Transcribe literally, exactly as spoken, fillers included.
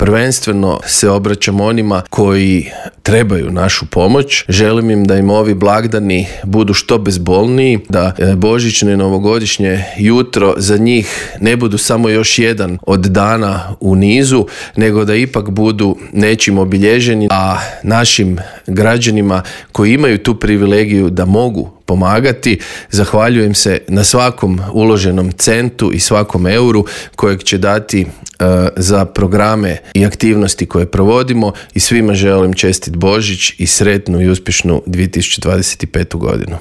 prvenstveno se obraćam onima koji trebaju našu pomoć. Želim im da im ovi blagdani budu što bezbolniji, da božićne i novogodišnje jutro za njih ne budu samo još jedan od dana u nizu, nego da ipak budu nečim obilježeni, a našim građanima koji imaju tu privilegiju da mogu pomagati, zahvaljujem se na svakom uloženom centu i svakom euru kojeg će dati uh, za programe i aktivnosti koje provodimo i svima želim čestit Božić i sretnu i uspješnu dvije tisuće dvadeset petu godinu.